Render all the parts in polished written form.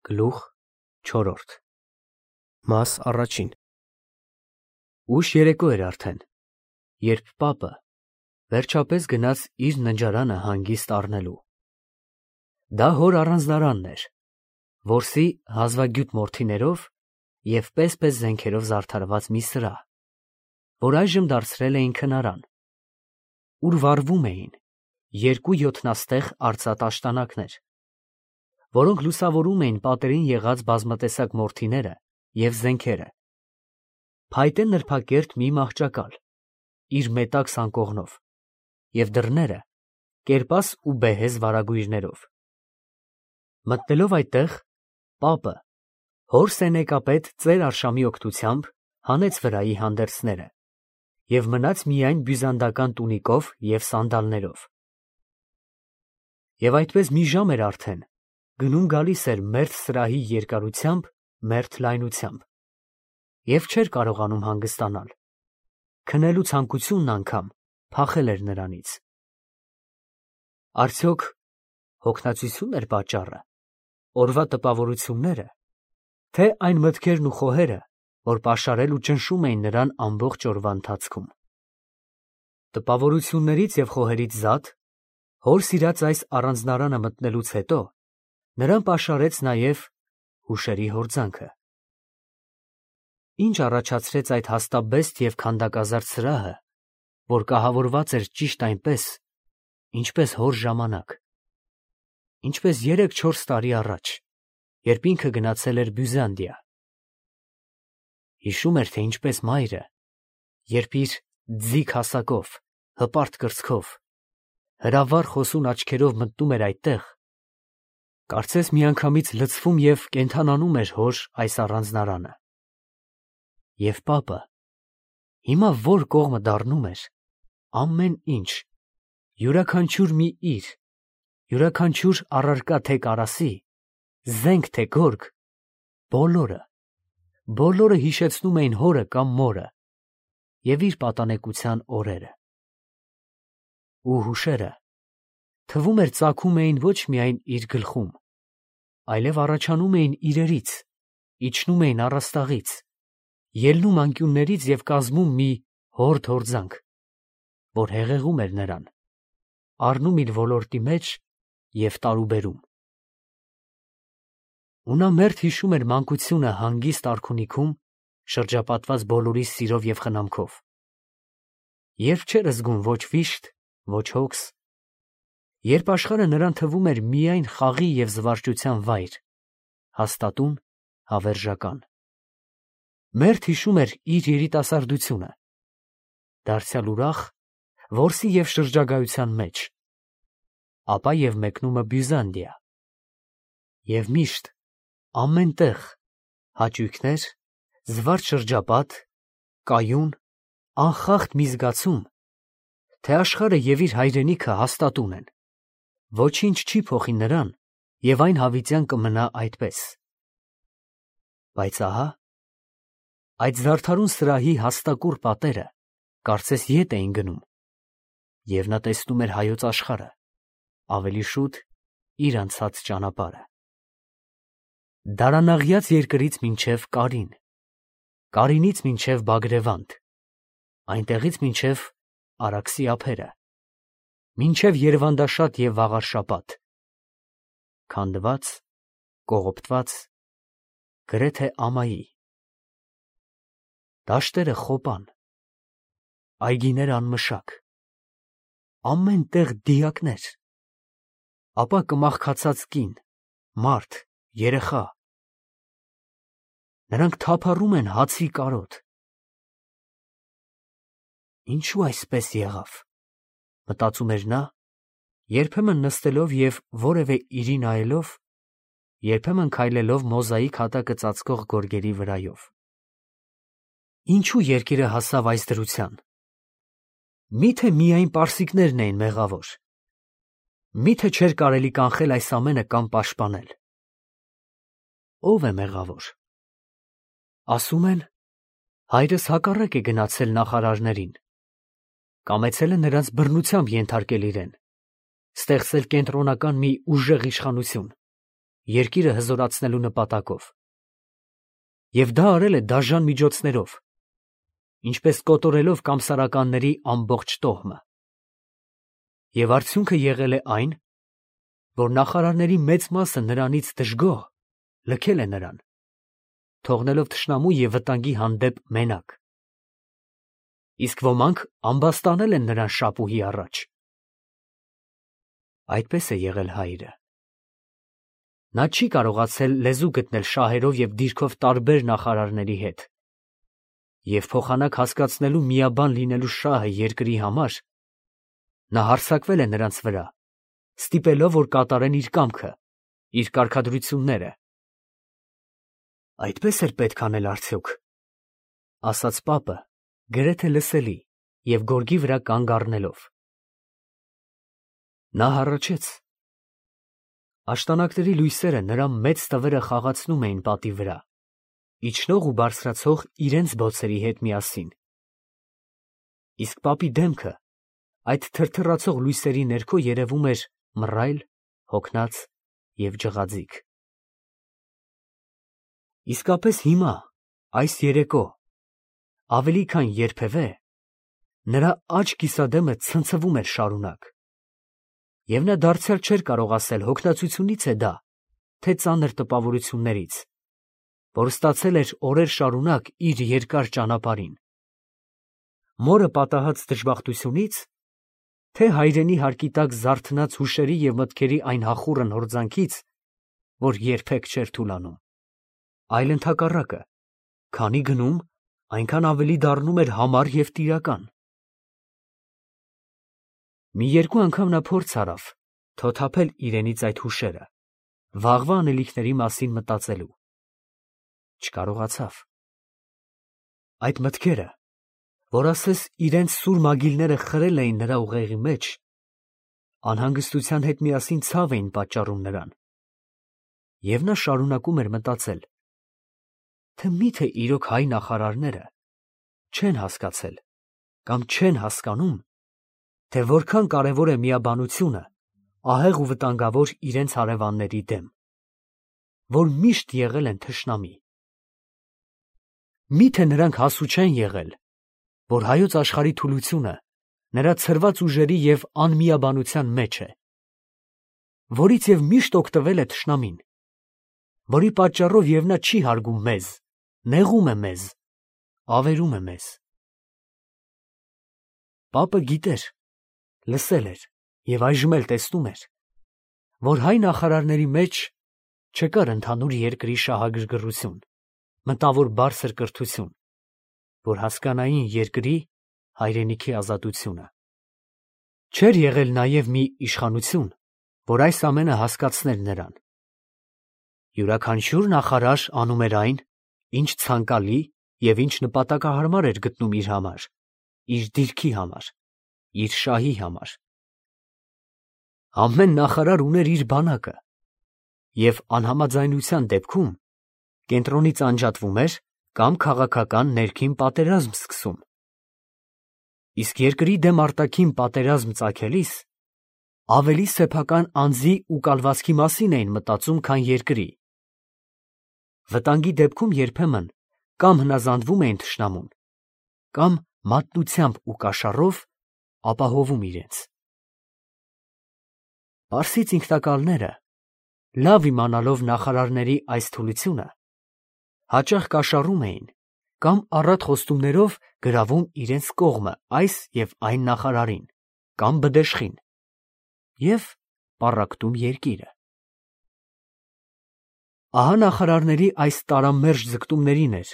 Գլուխ 4 Մաս առաջին Ուշ երեկո էր արդեն, երբ պապը վերջապես գնաց իր ննջարանը հանգիստ առնելու։ Դա հոր առանձնարանն էր, որսի հազվագյուտ մորթիներով և պես-պես զենքերով զարդարված մի սրահ, որ այժմ դարձրել էին քնարան, ուր վառվում էին երկու յոթնաստեղ արծաթ աշտանակներ, որոնք լուսավորում էին պատերին եղած բազմատեսակ մորթիները և զենքերը, փայտե նրբակերտ մի մահճակալ, իր մետաքս անկողնով, և դռները կերպաս ու բեհեզ վարագույրներով։ Մտնելով այդտեղ, պապը հոր սենյակապետ ծեր Արշամի օգնությամբ հանեց վրայի հանդերձները և մնաց միայն բյուզանդական տունիկով և սանդալներով։ Եվ այդպես մի ժամ էր արդեն, գնում֊գալիս էր մերթ սրահի երկարությամբ, մերթ լայնությամբ, և չէր կարողանում հանգստանալ, քնելու ցանկությունն անգամ փախել էր նրանից։ Արդյոք հոգնածությո՞ւնն էր պատճառը, օրվա տպավորություննե՞րը, թե այն մտքերն ու խոհերը, որ պաշարել ու ճնշում էին նրան ամբողջ օրվա ընթացքում։ Տպավորություններից և խոհերից զատ, հոր սիրած այս առանձնարանը մտնելուց հետո նրան պաշարեց նաև հուշերի հորձանքը։ Ինչ առաջացրեց այդ հաստաբեստ և քանդակազարդ սրահը, որ կահավորված էր ճիշտ այնպես, ինչպես հոր ժամանակ, ինչպես 3-4 տարի առաջ, երբ ինքը գնացել էր Բյուզանդիա։ Հիշում էր, թե ինչպես մայրը, երբ իր ձիգ հասակով, հպարտ կրծքով, հրավառ խոսուն աչքերով մտնում էր այդտեղ, կարծես միանգամից լցվում և կենդանանում էր հոր այս առանձնարանը։ Եվ պապը հիմա որ կողմը դառնում էր, ամեն ինչ, յուրաքանչյուր մի իր, յուրաքանչյուր առարկա թե կարասի, զենք թե գորգ, բոլորը հիշեցնում էին հորը կամ մորը և իր պատանեկության օրերը։ Ու հուշերը, թվում էր, ծագում էին ոչ միայն իր գլխում, այլև առաջանում էին իրերից, իջնում էին առաստաղից, ելնում անկյուններից և կազմում մի հորդ հորձանք, որ հեղեղում էր նրան, առնում իր ոլորտի մեջ և տարուբերում։ Ու նա մերթ հիշում էր մանկությունը հանգիստ արքունիքում, շրջապատված բոլորի սիրով և խնամքով, երբ չէր զգում ոչ վիշտ, ոչ հոգս, երբ աշխարհը նրան թվում էր միայն խաղի և զվարճության վայր, հաստատուն, հավերժական։ Մերթ հիշում էր իր երիտասարդությունը, դարձյալ ուրախ, որսի և շրջագայության մեջ, ապա և մեկնումը Բյուզանդիա։ Եվ միշտ, ամեն տեղ, հաճույքներ, զվարճ շրջապատ, կայուն, անխախտ մի զգացում, թե աշխարհը և իր հայրենիքը հաստատուն են, ոչինչ չի փոխի նրան և այն հավիտյան կմնա այդպես։ Բայց ահա, այդ զարդարուն սրահի հաստակուռ պատերը կարծես ետ էին գնում, և նա տեսնում էր հայոց աշխարհը, ավելի շուտ իր անցած ճանապարհը։ Դարանաղյաց երկրից մինչև Կարին, Կարինից մինչև Բագրևանդ, այնտեղից մինչև Արաքսի ափերը, մինչև Երվանդաշատ և Վաղարշապատ, քանդված, կողոպտված, գրեթե ամայի։ Դաշտերը խոպան, այգիները անմշակ, ամեն տեղ դիակներ, ապա կմախքացած կին, մարդ, երեխա, նրանք թափառում են հացի կարոտ։ Ինչո՞ւ այսպես եղավ, մտածում էր նա, երբեմն նստելով և որևէ իրի նայելով, երբեմն քայլելով մոզաիկ հատակը ծածկող գորգերի վրայով։ Ինչո՞ւ երկիրը հասավ այս դրության։ Մի՞թե միայն պարսիկներն էին մեղավոր։ Մի՞թե չէր կարելի կանխել այս ամենը կամ պաշտպանել։ Ո՞վ է մեղավոր։ Ասում են, հայրս հակառակ է գնացել նախարարներին, կամեցել է նրանց բռնությամբ ենթարկել իրեն, ստեղծել կենտրոնական մի ուժեղ իշխանություն երկիրը հզորացնելու նպատակով։ Եվ դա արել է դաժան միջոցներով, ինչպես կոտորելով կամսարականների ամբողջ տոհմը։ Եվ արդյունքը եղել է այն, որ նախարարների մեծ մասը նրանից դժգոհ լքել է նրան, թողնելով թշնամու և վտանգի հանդեպ մենակ։ Իսկ ոմանք ամբաստանել են նրան շապուհի առաջ։ Այդպես է եղել հայրը։ Նա չի կարողացել լեզու գտնել շահերով և դիրքով տարբեր նախարարների հետ, և փոխանակ հասկացնելու միաբան լինելու շահը երկրի համար, նա հարձակվել է նրանց վրա, ստիպելով, որ կատարեն իր կամքը, իր կարգադրությունները։ Այդպես էր պետք անել արդյոք, ասաց պապը, գրեթե լսելի և գորգի վրա կանգ առնելով։ Նա հառաչեց։ Աշտանակների լույսերը նրա մեծ տվերը խաղացնում էին պատի վրա, իջնող ու բարձրացող իրենց բոցերի հետ միասին։ Իսկ պապի դեմքը այդ թրթռացող լույսերի ներքո երևում էր մռայլ, հոգնած և ջղաձիգ։ Իսկապես հիմա, այս երեկո, ավելի քան երբևէ, նրա աջ կիսադեմը ցնցվում էր շարունակ, և նա դարձյալ չէր կարող ասել հոգնածությունից է դա, թե ծանր տպավորություններից, որ ստացել էր օրեր շարունակ իր երկար ճանապարհին, մորը պատահած դժբախտությունից, թե հայրենի հարկի տակ զարթնած հուշերի և մտքերի այն հախուռն հորձանքից, որ երբեք չէր թուլանում, այլ ընդհակառակը, քանի գնում, այնքան ավելի դառնում էր համառ և տիրական։ Մի երկու անգամ նա փորձ արավ թոթափել իրենից այդ հուշերը, վաղվա անելիքների մասին մտածելու։ Չկարողացավ։ Այդ մտքերը, որ ասես իրենց սուր մագիլները խրել էին նրա ուղեղի մեջ, անհանգստության հետ միասին ցավ էին պատճառում նրան, և նա շարունակում էր մտածել, թե միթե իրոք հայ նախարարները չեն հասկացել կամ չեն հասկանում, թե որքան կարևոր է միաբանությունը ահեղ ու վտանգավոր իրենց հարևանների դեմ, որ միշտ եղել են թշնամի։ Միթե նրանք հասու չեն եղել, որ հայոց աշխարհի թուլությունը նրա ցրված ուժերի և անմիաբանության մեջ է, որից և միշտ օգտվել է թշնամին, որի պատճառով և նա չի հարգում մեզ, նեղում է մեզ, ավերում է մեզ։ Պապը գիտեր, լսել էր և այժմ էլ տեսնում էր, որ հայ նախարարների մեջ չկար ընդհանուր երկրի շահագրգռություն, մտավոր բարձր կրթություն, որ հասկանային երկրի, հայրենիքի ազատությունը։ Չէր եղել նաև մի իշխանություն, որ այս ամենը հասկացներ նրան։ Յուրաքանչյուր նախարար անում էր այն, ինչ ցանկալի և ինչ նպատակահարմար էր գտնում իր համար, իր դիրքի համար, իր շահի համար։ Ամեն նախարար ուներ իր բանակը, և անհամաձայնության դեպքում կենտրոնից անջատվում էր կամ քաղաքական ներքին պատերազմ սկսում։ Իսկ երկրի դեմ արտաքին պատերազմ ծագելիս ավելի սեփական անձի ու կալվածքի մասին էին մտածում, քան երկրի։ Վտանգի դեպքում երբեմն կամ հնազանդվում էին թշնամուն, կամ մատնությամբ ու կաշառով ապահովում իրենց։ Պարսից ինքնակալները, լավ իմանալով նախարարների այս թուլությունը, հաճախ կաշառում էին կամ առատ խոստումներով գրավում իրենց կողմը այս և այն նախարարին կամ բդեշխին և պառակտում երկիրը։ Ահա նախարարների այս տարամերժ ձգտումներին էր,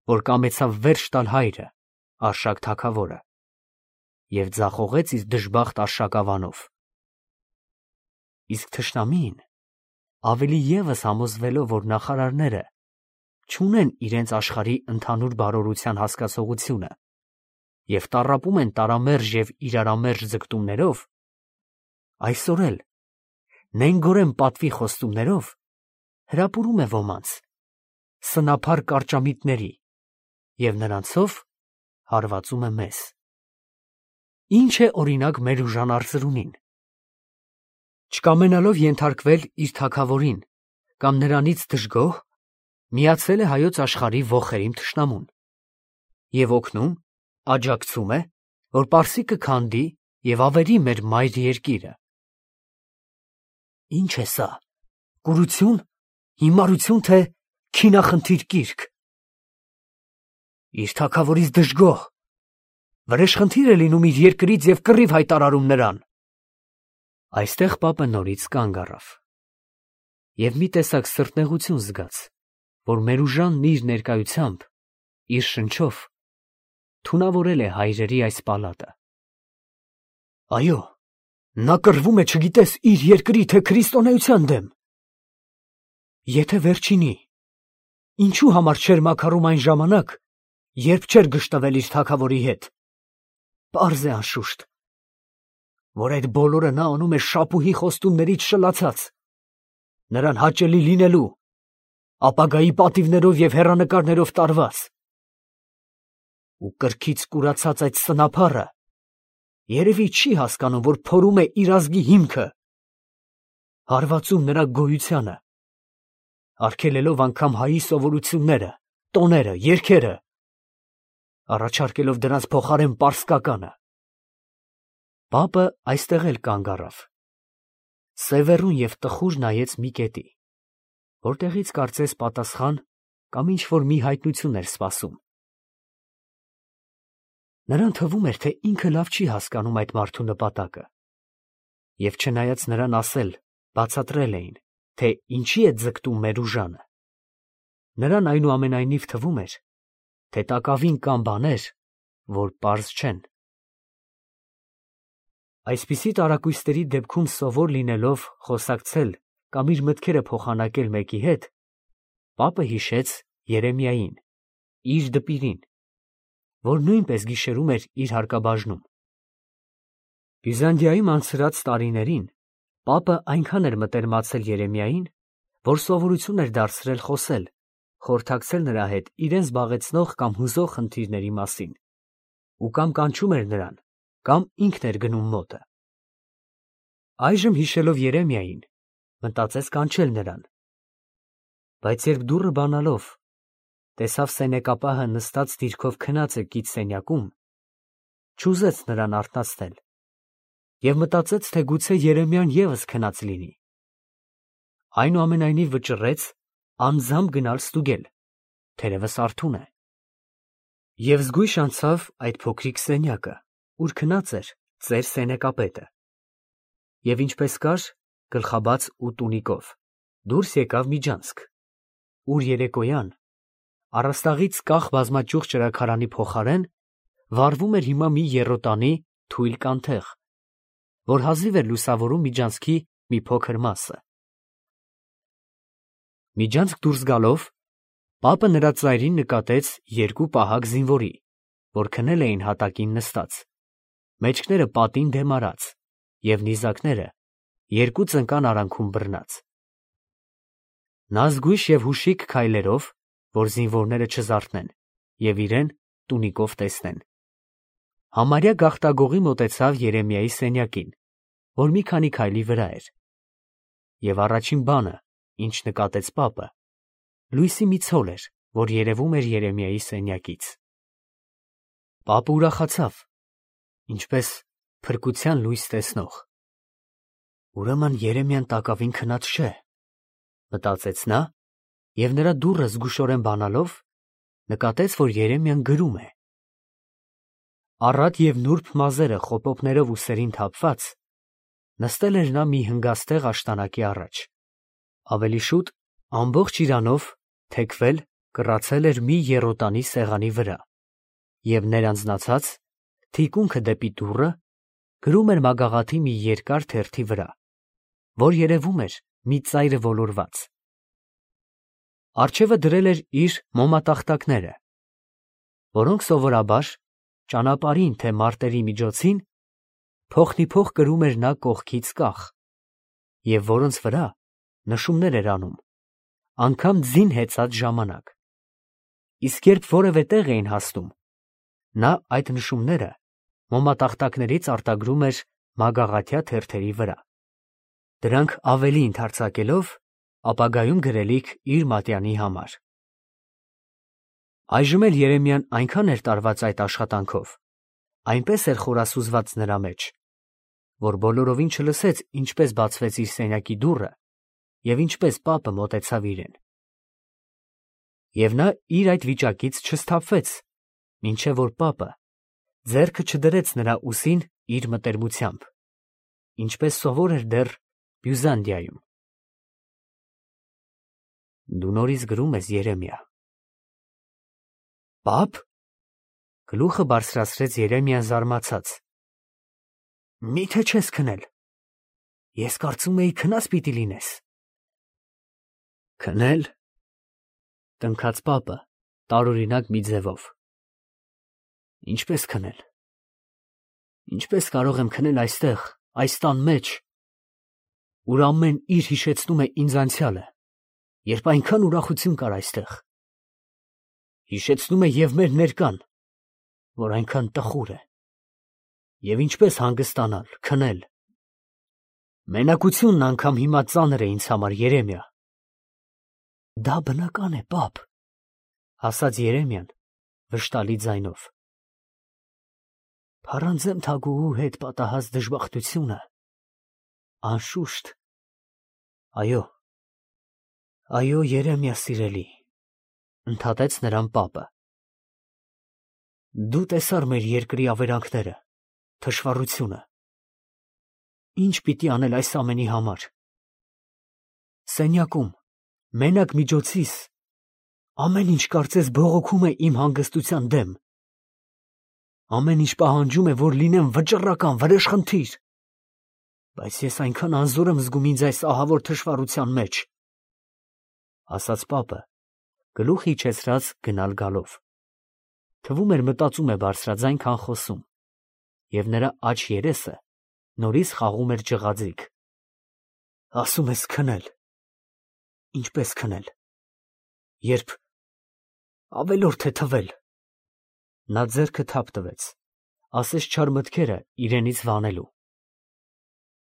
որ կամեցավ վերջ տալ հայրը, Արշակ թագավորը, և ձախողեց իր դժբախտ Արշակավանով։ Իսկ թշնամին, ավելի ևս համոզվելով, որ նախարարները չունեն իրենց աշխարհի ընդհանուր բարօրության հասկացողությունը և տառապում են տարամերժ և իրարամերժ ձգտումներով, այսօր էլ նենգորեն պատվի խոստումներով հրապուրում է ոմանց, սնափառ կարճամիտների, և նրանցով հարվածում է մեզ։ Ինչ է օրինակ մեր ուժանարծրունին։ Չկամենալով ենթարկվել իր թագավորին կամ նրանից դժգոհ միացել է հայոց աշխարհի ոխերիմ թշնամուն և օգնում, աջակցում է, որ Պարսիկը քանդի և ավերի մեր մայր երկիրը։ Ի՞նչ է սա, կուրություն, հիմարություն, թե քինախնդիր կիրք։ Իր թագավորից դժգոհ, վրեժխնդիր է լինում իր երկրից և կռիվ հայտարարում նրան։ Այստեղ պապը նորից կանգ առավ և մի տեսակ սրտնեղություն զգաց, որ Մերուժանն իր ներկայությամբ, իր շնչով թունավորել է հայրերի այս պալատը։ Այո, նա կռվում է չգիտես իր երկրի, թե քրիստոնեության դեմ։ Եթե վերջինի, ինչու համար չէր մաքարում այն ժամանակ, երբ չէր գժտվել իր թագավորի հետ։ Պարզ է անշուշտ, որ այդ բոլորը նա անում է շապուհի խոստումներից շլացած, նրան հաճելի լինելու, ապագայի պատիվներով և հեռանկարներով տարված։ Ու կրքից կուրացած այդ սնափառը երևի չի հասկանում, որ փորում է իր ազգի հիմքը, հարվածում նրա գոյությանը, արգելելով անգամ հայի սովորությունները, տոները, երգերը, առաջարկելով դրանց փոխարեն պարսկականը։ Պապը այստեղ էլ կանգ առավ, սևեռուն և տխուր նայեց մի կետի, որտեղից կարծես պատասխան կամ ինչ-որ մի հայտնություն էր սպասում։ Նրան թվում էր, թե ինքը լավ չի հասկանում այդ մարդու նպատակը, և չնայած նրան ասել, բացատրել էին, թե ինչի է ձգտում Մերուժանը, նրան այնուամենայնիվ թվում էր, թե տակավին կան բաներ, որ պարզ չեն։ Այսպիսի տարակույսների դեպքում սովոր լինելով խոսակցել կամ իր մտքերը փոխանակել մեկի հետ, պապը հիշեց Երեմիային, իր դպիրին, որ նույնպես գիշերում էր իր հարկաբաժնում։ Բյուզանդիայում անցրած տարիներին պապը այնքան էր մտերմացել Երեմիային, որ սովորություն էր դարձրել խոսել, խորհրդակցել նրա հետ իրեն զբաղեցնող կամ հուզող խնդիրների մասին, ու կամ կանչում էր նրան, կամ ինքն էր գնում մոտը։ Այժմ հիշելով Երեմիային, մտածեց կանչել նրան, բայց երբ դուռը բանալով տեսավ սենյակապահը նստած դիրքով քնած է կից սենյակում, չուզեց նրան արթնացնել և մտածեց, թե գուցե Երեմիան ևս քնած լինի։ Այնուամենայնիվ վճռեց անձամբ գնալ ստուգել, թերևս արթուն է, և զգույշ անցավ այդ փոքրիկ սենյակը, ուր քնած էր ծեր սենյակապետը, և ինչպես կար, գլխաբաց ու տունիկով, դուրս եկավ միջանցք, ուր երեկոյան առաստաղից կախ բազմաճյուղ ճրագարանի փոխարեն վառվում էր հիմա մի եռոտանի թույլ կանթեղ, որ հազիվ էր լուսավորում միջանցքի մի փոքր մասը։ Միջանցք դուրս գալով, պապը նրա ծայրին նկատեց երկու պահակ զինվորի, որ քնել էին հատակին նստած, մեջքները պատին դեմ արած և նիզակները երկու ծնկան արանքում բռնած։ Նա զգույշ և հուշիկ քայլերով, որ զինվորները չզարթնեն և իրեն տունիկով տեսնեն, համարյա գաղտագողի մոտեցավ Երեմիայի սենյակին, որ մի քանի քայլի վրա էր, և առաջին բանը, ինչ նկատեց պապը, լույսի մի ցոլ էր, որ երևում էր Երեմիայի սենյակից։ Պապը ուրախացավ, ինչպես փրկության լույս տեսնող։ Ուրեմն Երեմիան տակավին քնած չէ, մտածեց նա, և նրա դուռը զգուշորեն բանալով, նկատեց, որ Երեմիան գրում է։ Առատ և նուրբ մազերը խոպոպներով ուսերին թափված, նստել էր նա մի հնգաստեղ աշտանակի առաջ, ավելի շուտ ամբողջ իրանով թեքվել, կռացել էր մի եռոտանի սեղանի վրա և ներանձնացած, թիկունքը դեպի դուռը, գրում էր մագաղաթի մի երկար թերթի վրա, որ երևում էր մի ծայրը ոլորված։ Առջևը դրել էր իր մոմատախտակները, որոնք սովորաբար ճանապարհին թե մարտերի միջոցին փոխնիփոխ կրում էր նա կողքից կախ, և որոնց վրա նշումներ էր անում, անգամ ձին հեծած ժամանակ, իսկ երբ որևէ տեղ էին հասնում, նա այդ նշումները մոմատախտակներից արտագրում էր մագաղաթյա թերթերի վրա, դրանք ավելի ընդարձակելով, ապագայում գրելիք իր մատյանի համար։ Այժմ էլ Երեմիան այնքան էր տարված այդ աշխատանքով, այնպես էր խորասուզված նրա մեջ, որ բոլորովին չլսեց, ինչպես բացվեց իր սենյակի դուռը և ինչպես պապը մոտեցավ իրեն։ Եվ նա իր այդ վիճակից չսթափվեց, մինչև որ պապը ձեռքը չդրեց նրա ուսին իր մտերմությամբ, ինչպես սովոր էր դեռ Բյուզանդիայում։ Դու նորից գրում ես, Երեմիա։ Պապ, գլուխը բարձրացրեց Երեմիան զարմացած։ Միթե չես քնել։ Ես կարծում էի քնած պիտի լինես։ Քնել, տնքաց պապը տարօրինակ մի ձևով։ Ինչպես քնել։ Ինչպես կարող եմ քնել այստեղ, այս տան մեջ, ուր ամեն իր հիշեցնում է ինձ անցյալը, երբ այնքան ուրախություն կար այստեղ։ Հիշեցնում է և մեր ներկան, որ այնքան տխուր է։ Եվ ինչպես հանգստանալ, քնել։ Մենակությունն անգամ հիմա ծանր է ինձ համար, Երեմիա։ Դա բնական է, պապ, ասաց Երեմիան վշտալի ձայնով։ Փառանձեմ թագուհու հետ պատահած դժբախտությունը, անշուշտ։ Այո, Երեմիա սիրելի, ընդհատեց նրան պապը։ Դու տեսար մեր երկրի ավերակները, թշվառությունը։ Ինչ պիտի անել այս ամենի համար։ Սենյակում, մենակ միջոցիս, ամեն ինչ կարծես բողոքում է իմ հանգստության դեմ։ Ամեն ինչ պահանջում է, որ լինեմ վճռական, վրեժխնդիր։ Բայց ես այնքան անզոր եմ զգում ինձ այս ահավոր թշվառության մեջ, ասաց պապը, գլուխ իջեցրած գնալ գալով։ Թվում էր մտածում է բարձրաձայն քան խոսում, և նրա աջ երեսը նորից խաղում էր ջղաձիգ։ Ասում ես քնել։ Ինչպես քնել։ Երբ ավելորդ է թվել։ Նա ձեռքը թափ տվեց, ասես չար մտքերը իրենից վանելու։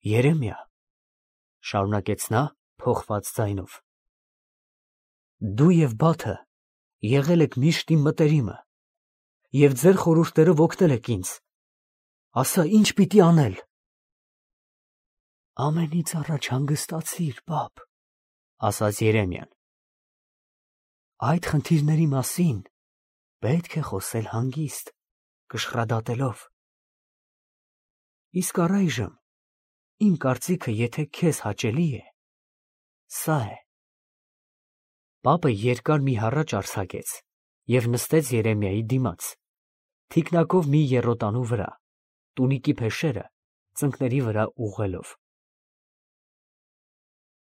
Երեմիա, շարունակեց նա փոխված ձայնով, դու և Բաթը եղել եք միշտ իմ մտերիմը, և ձեր խորհուրդներով օգնել եք ինձ։ Ասա, ինչ պիտի անել։ Ամենից առաջ հանգստացիր, պապ, ասաց Երեմիան։ Այդ խնդիրների մասին պետք է խոսել հանգիստ, կշռադատելով։ Իսկ առայժմ, իմ կարծիքը, եթե քեզ հաճելի է, սա է։ Պապը երկար մի հառաչ արձակեց և նստեց Երեմիայի դիմաց, թիկնակով մի եռոտանու վրա, տունիկի փեշերը ծնկների վրա ուղղելով։